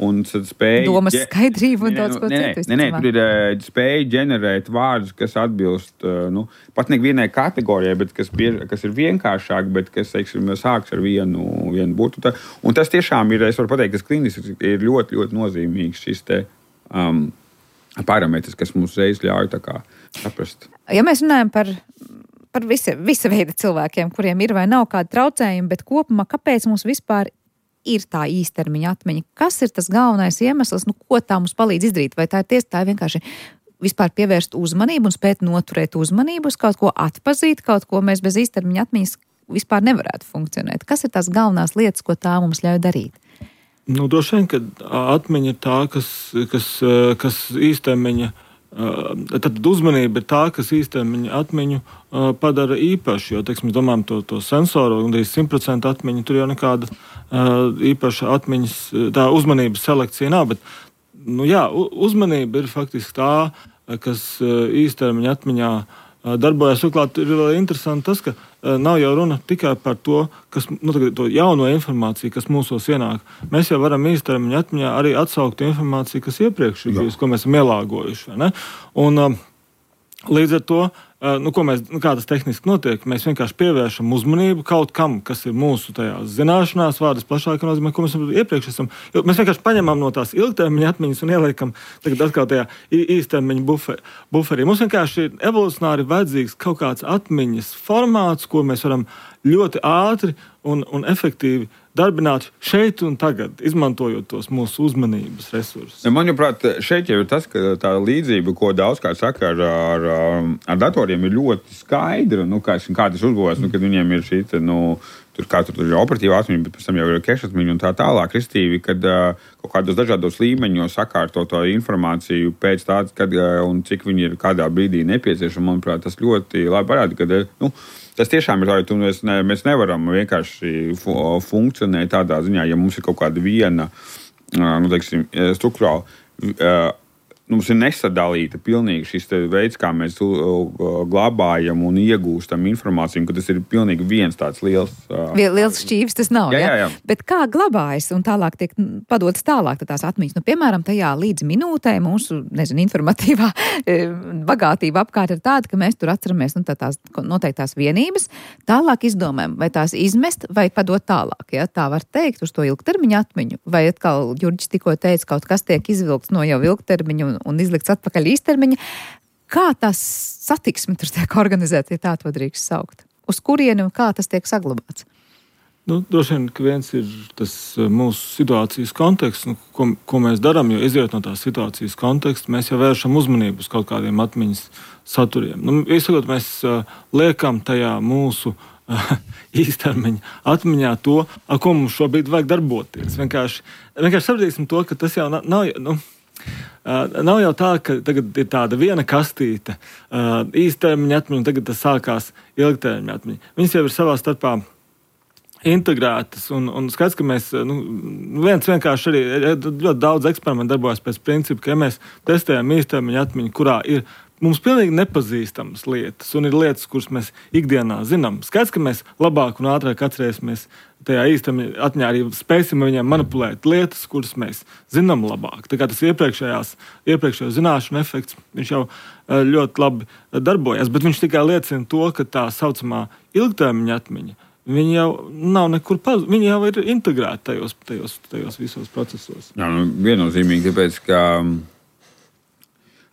un spēju...
Domas skaidrību un daudz ko citu.
Nē, tur ir spēja ģenerēt vārdus, kas atbilst, pat ne vienai kategorijai, bet kas ir vienkāršāk, bet kas, teiksim, sāks ar vienu burtu. Un tas tiešām ir, es varu pateikt, kas kliniski ir ļoti, ļoti nozīmīgs šis te parametrs, kas mums reiz ļauj tā kā saprast.
Ja mēs runājam par visa veida cilvēkiem, kuriem ir vai nav kādi traucējumi, bet kopumā kāpēc mums vispār ir tā īstermiņa atmiņa? Kas ir tas galvenais iemesls, ko tā mums palīdz izdarīt? Vai tā ir vienkārši vispār pievērst uzmanību un spēt noturēt uzmanību uz kaut ko atpazīt, kaut ko mēs bez īstermiņa atmiņas vispār nevarētu funkcionēt? Kas ir tās galvenās lietas, ko tā mums ļauj darīt?
Droši vien, ka atmiņa ir tā, kas īstermiņa tad uzmanība ir tā, kas īstermiņa atmiņu padara īpaši, jo, teiksim, domājam to sensoru, un 100% atmiņu, tur jau nekāda īpaša atmiņas, tā uzmanības selekcija nav, bet, uzmanība ir faktiski tā, kas īstermiņa atmiņā darbojas. Turklāt ir vēl interesanti tas, ka nav jau runa tikai par to, to jauno informāciju, kas mūsos ienāk. Mēs jau varam īstermiņa atmiņā arī atsaukt informāciju, kas iepriekš ir bijusi, ko mēs esam ielāgojuši. Vai ne? Un līdz ar to, kā tas tehniski notiek, mēs vienkārši pievēršam uzmanību kaut kam, kas ir mūsu tajās zināšanās, vārdas plašākā nozīmē, ko mēs iepriekš esam. Mēs vienkārši paņemam no tās ilgtermiņa atmiņas un ieliekam tagad atkal tajā īstermiņa buferī. Mums vienkārši ir evolucionāri vajadzīgs kaut kāds atmiņas formāts, ko mēs varam ļoti ātri un efektīvi darbināt šeit un tagad, izmantojot tos mūsu uzmanības resursus.
Manuprāt, šeit jau ir tas, ka tā līdzība, ko daudzkārt saka ar datoriem, ir ļoti skaidra. Kā tas uzbūvēts, kad viņiem ir šī, tur ir operatīva atmiņa, bet pēc tam jau ir keša atmiņa un tā tālāk, restīvi, kad kaut kādos dažādos līmeņos sakārto to informāciju pēc tāds, kad un cik viņi ir kādā brīdī nepieciešama. Manuprāt, tas ļoti labi parāda, ka, tas tiešām ir tā, mēs nevaram vienkārši funkcionēt tādā ziņā, ja mums ir kaut kāda viena, struktūrāla, mums ir nesadalīta pilnīgi šis veids, kā mēs glabājam un iegūstam informāciju, ka tas ir pilnīgi viens tāds liels
šķīvis tas nav,
jā.
Bet kā glabājas un tālāk tiek padotas tālāk tās atmiņas? Piemēram, tajā līdz minūtē mūsu, informatīvā bagātība apkārt ir tāda, ka mēs tur atceramies tās noteiktās vienības, tālāk izdomājam, vai tās izmest vai padot tālāk, ja? Tā var teikt uz to ilgtermiņa atmiņu, vai atkal Jurģis tikko teica, kaut kas tiek izvilkts no jau ilgtermiņa un izlikts atpakaļ īstermiņa. Kā tas satiksme tur tiek organizēta, ja tā to drīkst saukt? Uz kurieni un kā tas tiek saglabāts?
Droši vien, ka viens ir tas mūsu situācijas konteksts, ko mēs darām, jo izjūt no tās situācijas konteksta, mēs jau vēršam uzmanību uz kaut kādiem atmiņas saturiem. Īsakot, mēs liekam tajā mūsu īstermiņa atmiņā to, ar ko mums šobrīd vajag darboties. Vienkārši sapratīsim to, ka tas jau nav jau tā, ka tagad ir tāda viena kastīte īstermiņa atmiņa, un tagad tas sākās ilgtermiņa atmiņa. Viņas jau ir savā starpā integrētas, un skats, ka mēs, viens vienkārši arī ļoti daudz eksperimentu darbojas pēc principa, ka ja mēs testējam īstermiņa atmiņu, kurā ir mums pilnīgi nepazīstamas lietas, un ir lietas, kuras mēs ikdienā zinām. Skats, ka mēs labāk un ātrāk atcerēsimies tajā īstermiņa atmiņā, arī spēsim viņiem manipulēt lietas, kuras mēs zinām labāk. Tā kā tas iepriekšējo zināšanu efekts, viņš jau ļoti labi darbojas, bet viņš tikai liecina to, ka tā saucamā ilgtermiņa atmiņa, viņi jau nav nekur viņi jau ir integrēti tajos visos procesos.
Jā, viennozīmīgi, tāpēc, ka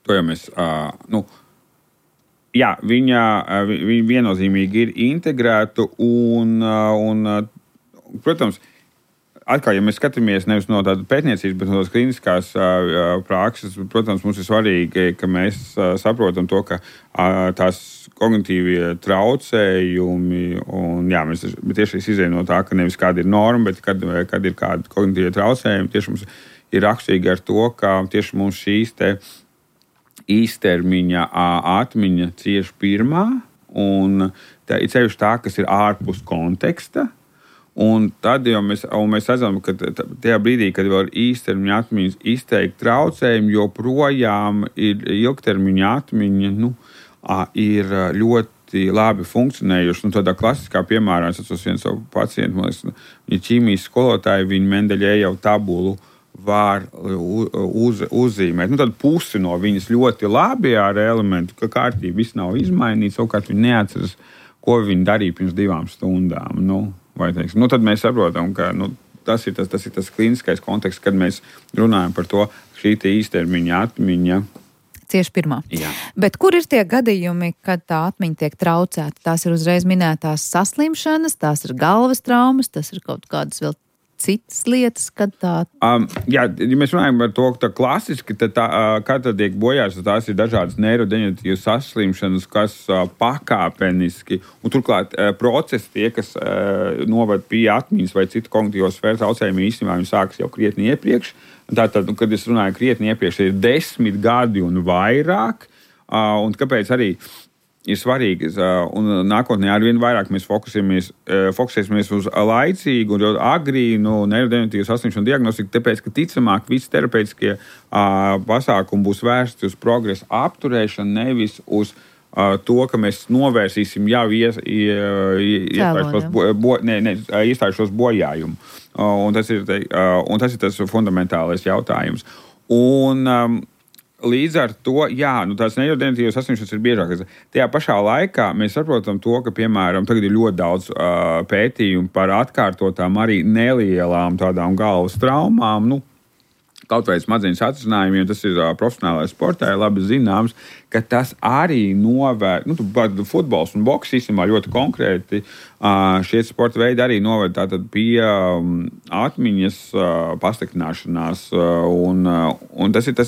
to jau mēs, viņa viennozīmīgi ir integrēta un protams, atkal, ja mēs skatāmies nevis no tādas pētniecības, bet no tādas kliniskās prakses, protams, mums ir svarīgi, ka mēs saprotam to, ka tās kognitīvie traucējumi, un mēs tieši izējam no tā, ka nevis kāda ir norma, bet kad ir kādi kognitīvie traucējumi, tieši mums ir raksturīgi ar to, ka tieši mums šīs īstermiņa atmiņa cieši pirmā, un tā ir ceļš tā, kas ir ārpus konteksta. Un tad jau mēs redzam, ka tajā brīdī, kad vēl ir īstermiņa atmiņas izteikti traucējumi, joprojām ir ilgtermiņa atmiņa, ir ļoti labi funkcionējuši. Tādā klasiskā piemērā es atceros vienu savu pacientu, viņa ķīmijas skolotāja, viņa Mendeļejevu tabulu var uzzīmēt. Tad pusi no viņas ļoti labi ar elementu, ka kārtība viss nav izmainīts, savukārt viņa neatceras, ko viņa darīja pirms 2 stundām. Tad mēs saprotam, ka tas ir tas kliniskais konteksts, kad mēs runājam par to, šī īstermiņa atmiņa.
Cieši pirmā.
Jā.
Bet kur ir tie gadījumi, kad tā atmiņa tiek traucēta? Tās ir uzreiz minētās saslimšanas, tās ir galvas traumas, tas ir kaut kādas vēl citas lietas, kad tā...
Ja mēs runājam par to, ka klasiski, kad tiek bojāts, tās ir dažādas neirodeģeneratīvas saslimšanas, kas pakāpeniski, un turklāt procesi tie, kas novad pie atmiņas vai citu kognitīvo sfēru traucējumi, īstenībā viņi sākas jau krietni iepriekš, Tātad, kad es runāju krietni iepriekš, ir 10 gadi un vairāk, un kāpēc arī ir svarīgi, un nākotnē arvien vairāk mēs fokusēsimies uz laicīgu un agrīnu neirodeģeneratīvu saslimšanu diagnostiku, tāpēc, ka ticamāk visi terapeitiskie pasākumi būs vērsti uz progresa apturēšanu, nevis uz to, ka mēs novērsīsim jau iestājušos bojājumu. Un tas ir tas fundamentālais jautājums. Un līdz ar to, tās neirodeģeneratīvas saslimšanas ir biežākas. Tajā pašā laikā mēs saprotam to, ka, piemēram, tagad ir ļoti daudz pētījumu par atkārtotām arī nelielām tādām galvas traumām, kaut vai smadzeņu satricinājumiem, tas ir profesionālais sportā, labi zināms, ka tas arī novērt, futbols un boks īstenībā ļoti konkrēti, šie sporta veidi arī novērt tātad pie atmiņas pasliktināšanās, un tas ir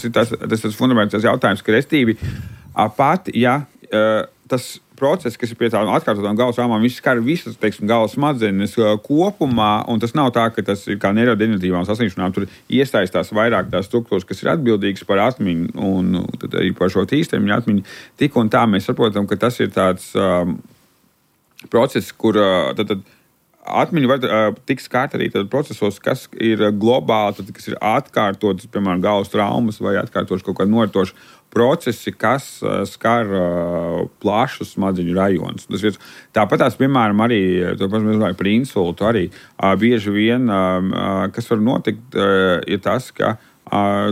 fundamentāls jautājums, ka restīvi pat, tas process, kas ir pie tādām atkārtotām galvas traumām, viss skar visas, galvas smadzenes kopumā, un tas nav tā, ka tas ir kā neirodeģeneratīvām saslimšanām, tur iesaistās vairāk tās struktūras, kas ir atbildīgas par atmiņu, un tad arī par šo īstermiņa atmiņu. Tik un tā mēs saprotam, ka tas ir tāds process, kur atmiņa var tikt skārta arī procesos, kas ir globāli, kas ir atkārtotas, piemēram, galvas traumas vai atkārtotas kaut kāda noritoša procesi, kas skar plašus smadzeņu rajonus. Tāpat tās, piemēram, arī par insultu arī bieži vien, kas var notikt, ir tas, ka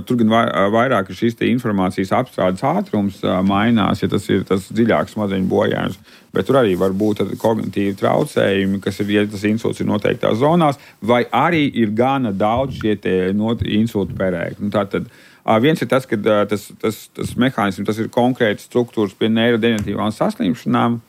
tur gan vairāk šīs informācijas apstrādes ātrums mainās, ja tas ir tas dziļāks smadzeņu bojājums, bet tur arī var būt kognitīvi traucējumi, kas ir, ja tas insults ir noteiktās zonās, vai arī ir gana daudz šie insultu perēkļi. Tātad viens ir tas, ka tas mehānisms, tas ir konkrēti struktūras pie neirodeģeneratīvām saslimšanām,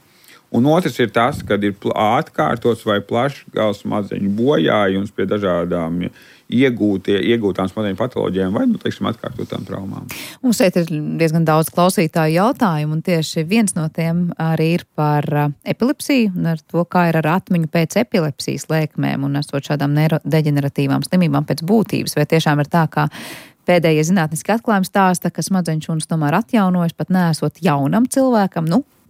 un otrs ir tas, kad ir atkārtots vai plašs galvas smadzeņu bojājums pie dažādām iegūtām smadzeņu patoloģijām vai, atkārtotām traumām.
Mums šeit ir diezgan daudz klausītāju jautājumu, un tieši viens no tiem arī ir par epilepsiju un ar to, kā ir ar atmiņu pēc epilepsijas lēkmēm un esot šādām neirodeģeneratīvām slimībām pēc būtības. Vai tiešām ir tā, kā pēdējie zinātniski atklājumi stāsta, ka smadzeņšūnas tomēr atjaunojas, pat neesot jaunam cilvēkam,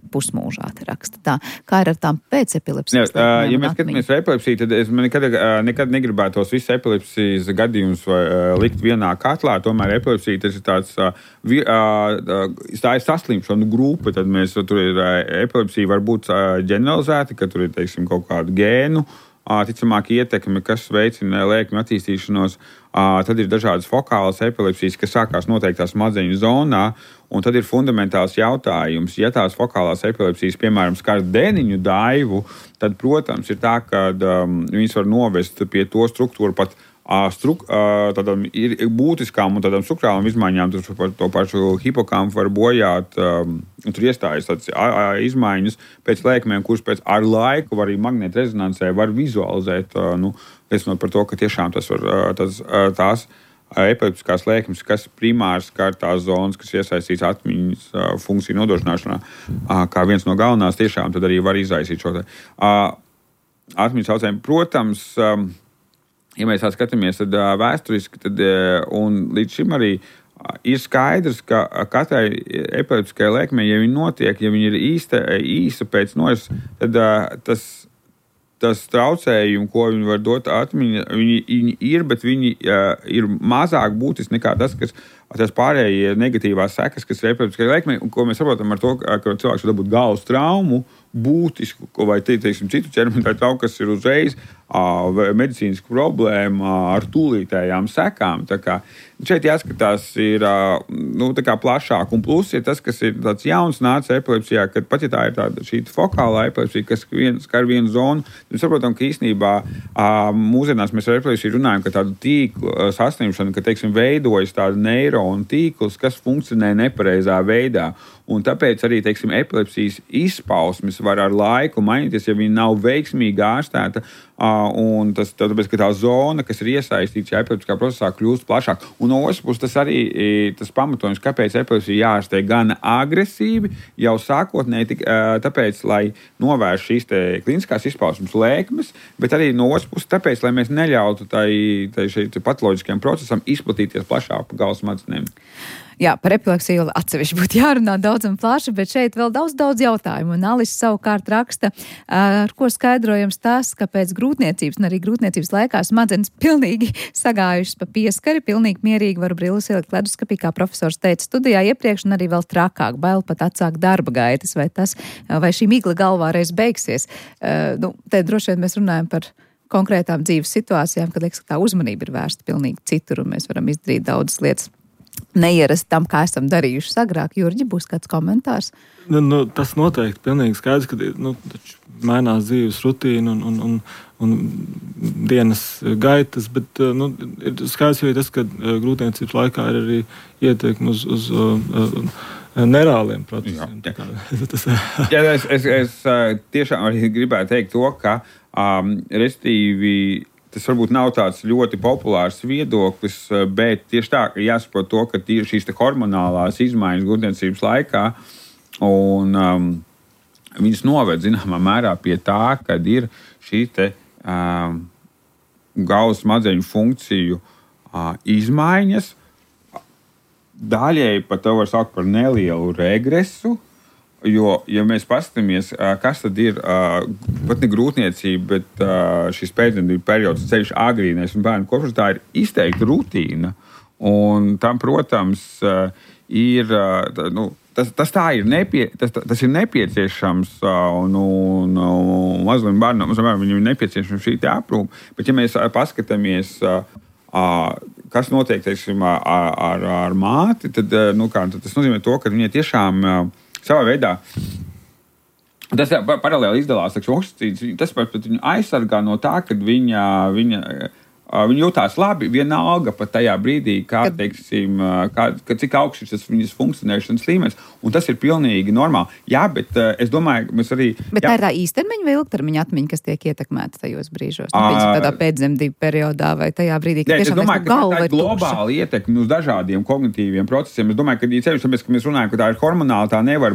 pusmūžā te raksta tā. Kā ir ar tām pēc epilepsijas?
Ja mēs skatāmies ar epilepsiju, tad es nekad negribētu tos visus epilepsijas gadījumus likt vienā katlā. Tomēr epilepsija tas ir tāds, tā ir saslimšanu grupa, tad tur ir epilepsija var būt ģeneralizēta, ka tur ir, kaut kādu gēnu, ticamāk ietekme, kas veicina lēkmju attīstīšanos. Tad ir dažādas fokālas epilepsijas, kas sākās noteiktā smadzeņu zonā, un tad ir fundamentāls jautājums. Ja tās fokālās epilepsijas, piemēram, skar dēniņu daivu, tad, protams, ir tā, ka viņas var novest pie to struktūru pat tādām ir būtiskām un tādām struktūrālām izmaiņām. To pašu hipokampu var bojāt, un tur iestājas tādas izmaiņas pēc lēkmēm, kuras pēc ar laiku var arī magnētrezonansē var vizualizēt, liecinot par to, ka tiešām tās epileptiskās lēkmes, kas primāri skar tās zonas, kas iesaistīts atmiņas funkciju nodrošināšanā, kā viens no galvenās, tiešām tad arī var izraisīt šo atmiņas traucējumu. Protams, ja mēs tā skatāmies, tad vēsturiski, un līdz šim arī ir skaidrs, ka katrai epileptiskai lēkmei, ja viņa notiek, ja viņa ir īsa pēc norises, tad tas traucējumi, ko viņi var dot atmiņa, viņi ir, bet viņi ir mazāk būtiski nekā tas pārējie negatīvās sekas, kas ir epileptiskai lēkmei, un ko mēs saprotam ar to, ka cilvēks var dabūt galvas traumu, būtisku, vai citu ķermeni traumu, kas ir uzreiz medicīnisku problēmu ar tūlītējām sekām. Tā kā šeit jāskatās ir plašāk. Un plus ir tas, kas ir tāds jauns nācis epilepsijā, kad pat ja tā ir tāda šī fokālā epilepsija, kas skar vienu zonu, mēs saprotam, ka īstenībā mūsdienās mēs ar epilepsiju runājam, ka tādu tīklu saslimšanu, ka, veidojas tāda neironu tīkls, kas funkcionē nepareizā veidā. Un tāpēc arī, epilepsijas izpausmes var ar laiku mainīties, ja viņa nav veiksmīgi ārstēta Un tas, tāpēc, ka tā zona, kas ir iesaistīta šajā epileptiskā procesā, kļūst plašāk. Un no otras puses, tas arī tas pamatojums, kāpēc epilepsija jārastē gan agresīvi, jau sākotnēji, tāpēc, lai novērš šīs kliniskās izpausmes lēkmes, bet arī no otras puses, tāpēc, lai mēs neļautu tai patoloģiskajam procesam izplatīties plašāk pa galvas smadzenēm.
Jā, par epilepsiju atsevišķi būtu jārunā daudz un plaši, bet šeit vēl daudz jautājumu. Un Alis savukārt raksta, ar ko skaidrojams tas, ka pēc grūtniecības un arī grūtniecības laikā smadzenes pilnīgi sagājušas pa pieskari, pilnīgi mierīgi varu brilles ielikt leduskapī, kā profesors teica studijā iepriekš, un arī vēl trakāk, bail pat atsākt darba gaitas, vai šī migla galvā reiz beigsies. Te droši vien mēs runājam par konkrētām dzīves situācijām, kad liekas, ka tā uzmanība ir vērsta pilnīgi citur, un mēs varam izdarīt daudzas lietas neierast tam, kā esam darījuši agrāk. Jurģi, būs kāds komentārs?
Tas noteikti pilnīgi skaidrs, ka taču mainās dzīves rutīna un dienas gaitas, bet ir skaidrs arī tas, ka grūtniecības laikā ir arī ieteikumi uz neirāliem procesiem.
Es tiešām arī gribētu teikt to, ka restīvi tas varbūt nav tāds ļoti populārs viedoklis, bet tieši tā, ka jāsaprot to, ka šīs hormonālās izmaiņas grūtniecības laikā un viņas noved zināmā mērā pie tā, kad ir šī galvas smadzeņu funkciju izmaiņas. Daļēji pat to var saukt par nelielu regresu. Jo, ja mēs paskatāmies, kas tad ir pat ne grūtniecība, bet šis pēcdzemdību periods, ceļš agrīnais un bērnu kopšanas, tā ir izteikta rutīna. Un tam, protams, ir, tas ir nepieciešams un mazlim bērnam viņam ir nepieciešams šī aprūpe. Bet, ja mēs paskatāmies, kas notiek, teiksim, ar māti, tad tas nozīmē to, ka viņai tiešām savā veidā tas paralēli izdalās oksicīds. Tas pat viņu aizsargā no tā, kad viņa jūtās labi, vienalga pat tajā brīdī, cik augsts ir tas viņas funkcionēšanas līmenis. Un tas ir pilnīgi normāli. Jā, bet es domāju, ka mēs arī...
Bet tā ir tā īstermiņa vai ilgtermiņa atmiņa, kas tiek ietekmēta tajos brīžos? Tādā pēcdzemdību periodā vai tajā brīdī, kad tiešām mēs galva vai tukša?
Globāli ietekmi uz dažādiem kognitīviem procesiem. Es domāju, ka tāpēc, ka mēs runājam, ka tā ir hormonāla, tā nevar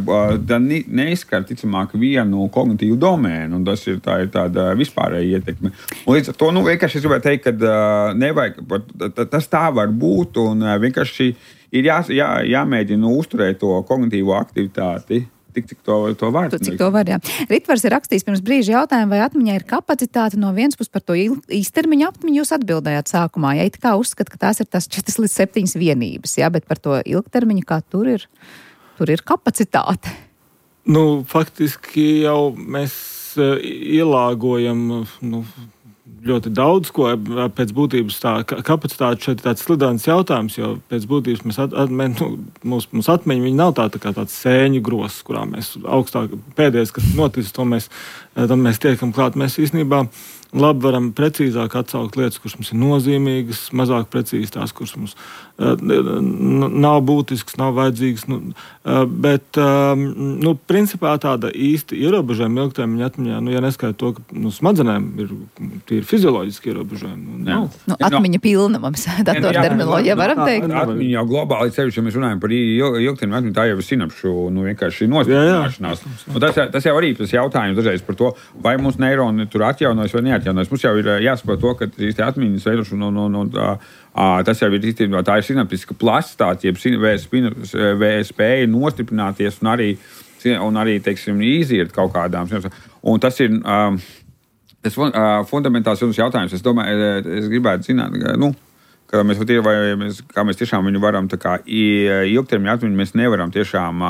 neizskar, ticamāk, vienu kognitīvu domēnu. Un tas ir tāda vispārēja ietekme. Un līdz ar to, vienkārši es gribētu teikt, ka nevajag, tas tā var būt, un vienkārši ir jāmēģina uzturēt to kognitīvo aktivitāti, cik to var.
Cik to var, jā. Ritvars ir rakstījis pirms brīža jautājumu, vai atmiņā ir kapacitāte no vienas puses par to īstermiņa atmiņu. Jūs atbildējāt sākumā, ja it kā uzskat, ka tās ir tas 4 līdz 7 vienības, jā, bet par to ilgtermiņu, kā tur ir kapacitāte.
Faktiski jau mēs ielāgojam, ļoti daudz, ko pēc būtības tā kapacitāte šeit ir tāds slidens jautājums, jo pēc būtības mūsu atmiņa viņa nav kā tāds sēņu gross, kurā mēs augstāk pēdējais, kas noticis, tam mēs tiekam klāt. Mēs īstenībā labi varam precīzāk atsaukt lietas, kuras mums ir nozīmīgas, mazāk precīzi tās, kuras mums nav būtisks, nav vajadzīgs. Bet principā tāda īsti ierobežojuma ilgtermiņa atmiņā, ja neskaidro to, ka smadzenēm ir fizioloģiski ierobežojumi.
Atmiņa pilna mums, datorterminoloģija varam teikt.
Atmiņa jau globāli ceļš, ja mēs runājam par ilgtermiņa atmiņu, tā jau ir sinapšu vienkārši nostiprināšanās. Tas jau arī tas jautājums dažreiz par to, vai mums neironi tur atjaunojas vai neatjaunojas. Mums jau ir jāsaprot to, ka šīs atmiņas veidošana tas jau ir īstenībā, tā ir sinaptiska plastāte, jeb spēja nostiprināties un arī teiksim, iziet kaut kādām. Un tas ir tas fundamentāls jautājums. Es domāju, es gribētu zināt, kā mēs tiešām viņu varam ilgtermiņa atmiņu mēs nevaram tiešām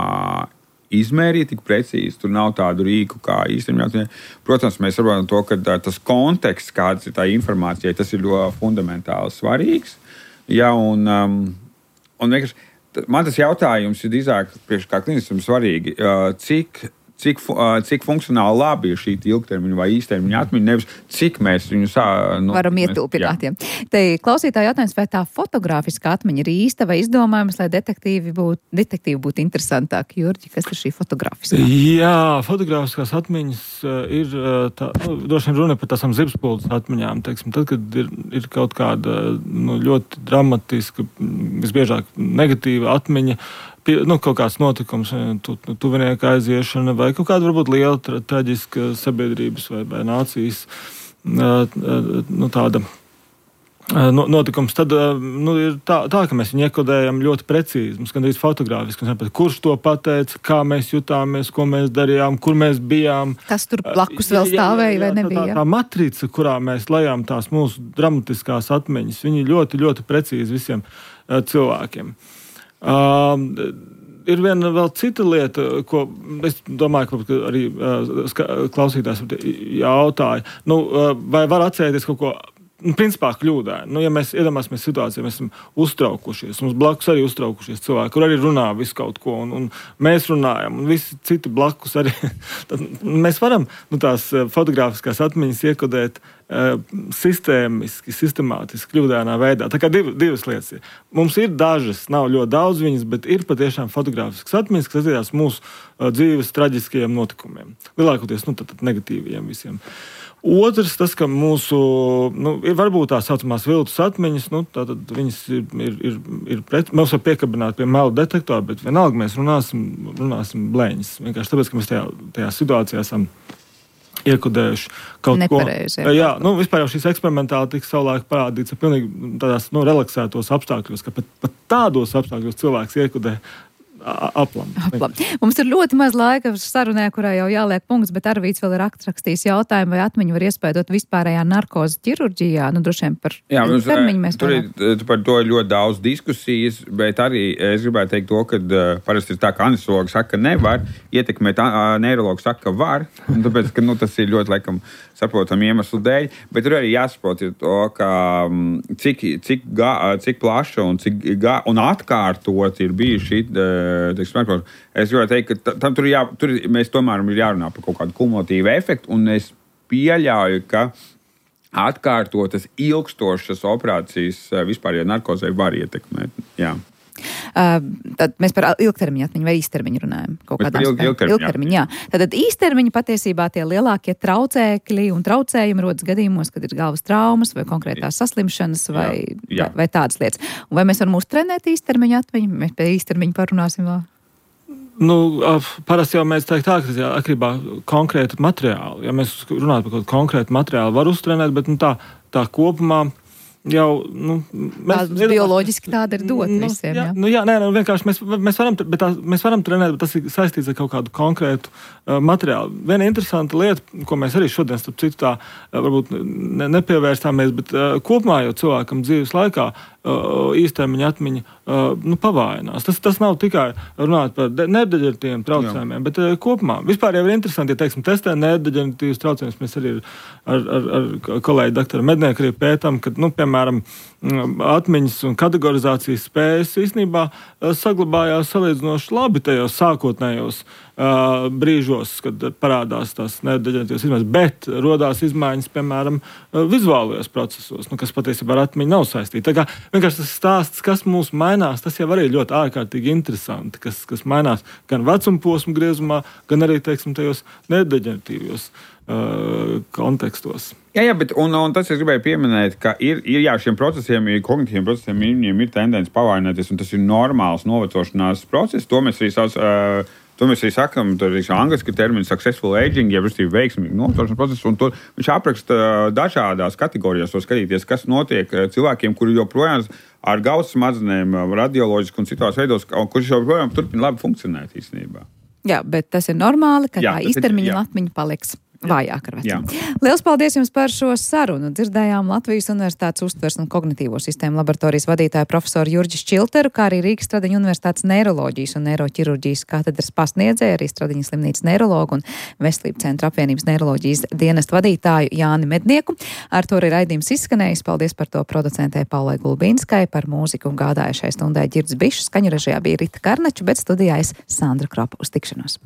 izmērīt tik precīzi. Tur nav tādu rīku kā īstenībā. Protams, mēs saprotam to, ka tas konteksts, kāds ir tā informācija, tas ir ļoti fundamentāli svarīgs. Ja, un vienkārši man tas jautājums ir drīzāk priekš kā klinistam svarīgi, cik funkcionāli labi ir šī ilgtermiņa vai īstermiņa atmiņa, nevis cik mēs viņu
varam ietilpināt. Te klausītāji jautājums, vai tā fotogrāfiskā atmiņa ir īsta vai izdomājums, lai detektīvi būtu interesantāk. Jurģi, kas ir šī fotogrāfiskā?
Jā, fotogrāfiskās atmiņas ir droši vien runa par tām zibspuldes atmiņām. Teiksim, tad, kad ir kaut kāda ļoti dramatiska, visbiežāk negatīva atmiņa, kaut kāds notikums, tuvinieka aiziešana vai kaut kāda varbūt liela traģiska sabiedrības vai nācijas tāda notikums, tad ir tā, ka mēs viņu iekodējam ļoti precīzi, mums gandrīz fotogrāfiski, kurš to pateica, kā mēs jutāmies, ko mēs darījām, kur mēs bijām.
Kas tur blakus vēl stāvēja vai nebija?
Tā matrica, kurā mēs lejām tās mūsu dramatiskās atmiņas, viņi ļoti, ļoti precīzi visiem cilvēkiem. Ir viena vēl cita lieta, ko es domāju, ka arī klausītājs jautāja. Vai var atcerēties kaut ko principā kļūdaini? Ja mēs iedomāsimies situāciju, mēs esam uztraukušies, mums blakus arī uztraukušies cilvēki, kur arī runā visu kaut ko, un mēs runājam, un visi citi blakus arī. Tad mēs varam tās fotogrāfiskās atmiņas iekodēt sistēmiski, sistemātiski, kļūdainā veidā. Tā kā divas lietas ir. Mums ir dažas, nav ļoti daudz viņas, bet ir patiešām fotogrāfiskas atmiņas, kas attiecās mūsu dzīves traģiskajiem notikumiem. Lielākoties, negatīviem visiem. Otrs, tas, ka mūsu, ir varbūt tā saucamās viltus atmiņas, tātad viņas mēs var piekabināt pie melu detektora, bet vienalga mēs runāsim blēņas. Vienkārši tāpēc, ka mēs tajā situācijā esam iekodējuši kaut
nepareizi,
ko. Jā, vispār jau šīs eksperimentāli tika savulaik parādīts, pilnīgi tādās relaksētos apstākļos, ka pat tādos apstākļos cilvēks iekodē aplam.
Mums ir ļoti maz laika sarunē, kurā jau jāliek punkts, bet Arvīts vēl ir rakstījis jautājumu, vai atmiņu var iespēdot vispārējā narkozes ķirurģijā. Droši vien par termiņu mēs
tur par to ļoti daudz diskusijas, bet arī es gribētu teikt to, ka parasti ir tā, ka anestezologi saka, ka nevar ietekmēt, neirologi saka, ka var, un tāpēc, ka tas ir ļoti, laikam, saprotam iemeslu dēļ, bet tur arī jāsaprot ir to, ka cik plaša un atkārtot ir bijuši es gribētu teikt, ka mēs tomēr ir jārunā par kaut kādu kumulatīvu efektu, un es pieļauju, ka atkārtotas ilgstošas operācijas vispārējā narkozē var ietekmēt. Jā.
Tad mēs par ilgtermiņu atmiņu vai īstermiņu runājam. Ilgtermiņu, jā. Tad īstermiņu patiesībā tie lielākie traucēkļi un traucējumi rodas gadījumos, kad ir galvas traumas vai konkrētās saslimšanas vai tādas lietas. Un vai mēs varam uztrenēt īstermiņu atmiņu? Mēs pie īstermiņu parunāsim vēl.
Parasti jau mēs teikt tā, ka atkarībā konkrēti materiāli. Ja mēs runājam par kaut konkrētu materiālu, var uztrenēt, bet tā kopumā jau,
bioloģiski tāda ir dot visiem, jā?
Vienkārši mēs varam trenēt, bet tas ir saistīts ar kaut kādu konkrētu materiālu. Viena interesanta lieta, ko mēs arī šodien, starp citu, tā varbūt nepievērstāmies, bet kopumā jau cilvēkam dzīves laikā īstermiņa atmiņa pavājinās. Tas nav tikai runāt par nervdeģeneratīviem traucējumiem, bet kopumā. Vispār jau ir interesanti, ja, teiksim, testē nervdeģeneratīvus traucējumus. Mēs arī ar kolēģi doktoru Mednieku arī pētām, ka, piemēram, atmiņas un kategorizācijas spējas īstenībā saglabājās salīdzinoši labi tajos sākotnējos brīžos, kad parādās tās nervdeģeneratīvas izmaiņas, bet rodās izmaiņas, piemēram, vizuālajos procesos, kas patiesībā ar atmiņu nav saistīti. Tā kā vienkārši tas stāsts, kas mūs mainās, tas jau arī ļoti ārkārtīgi interesanti, kas mainās gan vecumposmu griezumā, gan arī, teiksim, tajos nervdeģeneratīvos kontekstos.
Jā, bet un tas es gribēju pieminēt, ka ir šiem procesiem, kognitīviem procesiem, viņiem ir tendence pavaināties, un tas ir normāls novecošanās process. To mēs arī sakām, tur ir angliski termini successful aging, jeb veiksmīgi novecošanās process, un viņš apraksta dažādās kategorijās, var skatīties, kas notiek cilvēkiem, kuri joprojām ar galvas smadzenēm, radioloģiski un citās veidos, kurš joprojām turpina labi funkcionēt īstenībā.
Jā, bet tas ir normāli, ka tā īstermiņa atmiņa paliks vājāk ar vecumu. Liels paldies jums par šo sarunu. Dzirdējām Latvijas Universitātes uztvers un kognitīvo sistēmu laboratorijas vadītāju profesoru Jurģi Šķilteru, kā arī Rīgas Stradiņu Universitātes neiroloģijas un neiroķirurģijas katedras pasniedzēju, arī Stradiņas slimnīcas neirologu un Veselības centra apvienības neiroloģijas dienesta vadītāju Jāni Mednieku. Ar to arī raidījums izskanējis. Paldies par to producentē Paulai Gulbīnskai, par mūziku un gādājušai stundai Ģirds Bišs. Skaņu režijā bija Rita Karnača, bet studijā es Sandra Kropa. Uz tikšanos.